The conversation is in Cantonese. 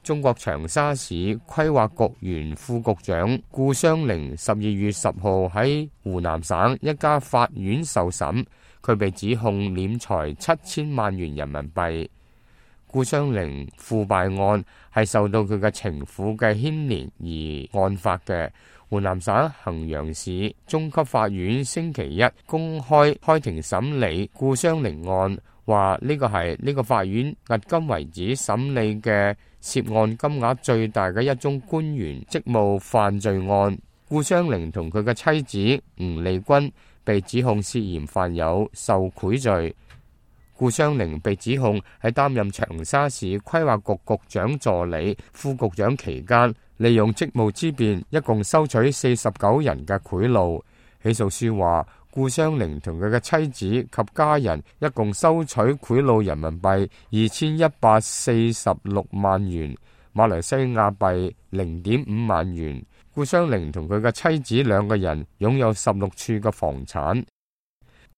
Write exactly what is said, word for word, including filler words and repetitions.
中國長沙市規劃局原副局長顧湘玲十二月十號喺湖南省一家法院受審，佢被指控斂財七千萬元人民幣。顧湘玲腐敗案係受到佢嘅情婦嘅牽連而案發嘅。湖南省衡陽市中級法院星期一公開開庭審理顧湘玲案，話呢個係呢個法院迄今為止審理嘅涉案金額最大嘅一宗官員職務犯罪案。顧湘玲同佢嘅妻子吳麗君被指控涉嫌犯有受賄罪。顧湘玲被指控喺擔任長沙市規劃局局長助理、副局長期間，利用職務之便，一共收取四十九人嘅賄賂。起訴書話，顧湘玲同佢嘅妻子及家人一共收取賄賂人民幣二千一百四十六萬元，馬來西亞幣零點五萬元。顧湘玲同佢嘅妻子兩個人擁有十六處嘅房產。